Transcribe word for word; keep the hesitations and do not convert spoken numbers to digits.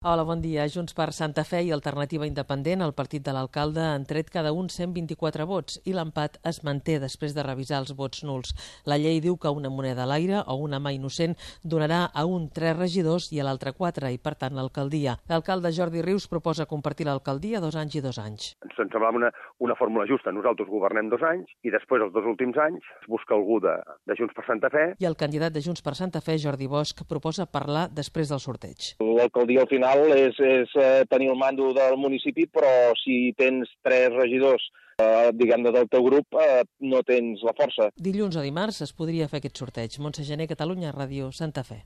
Hola, bon dia. Junts per Santa Fe i Alternativa Independent, el partit de l'alcalde, han tret cada un cent vint-i-quatre vots i l'empat es manté després de revisar els vots nuls. La llei diu que una moneda a l'aire o una mà innocent donarà a un tres regidors i a l'altre quatre i, per tant, l'alcaldia. L'alcalde Jordi Rius proposa compartir l'alcaldia dos anys i dos anys. Ens semblava una, una fórmula justa. Nosaltres governem dos anys i després, els dos últims anys, es busca algú de, de Junts per Santa Fe. I el candidat de Junts per Santa Fe, Jordi Bosch, proposa parlar després del sorteig. L'alcaldia al final és, és eh, tenir el mando del municipi, però si tens tres regidors, eh, diguem-ne, del teu grup, eh, no tens la força. Dilluns o dimarts es podria fer aquest sorteig. Montse Gené, Catalunya Ràdio, Santa Fe.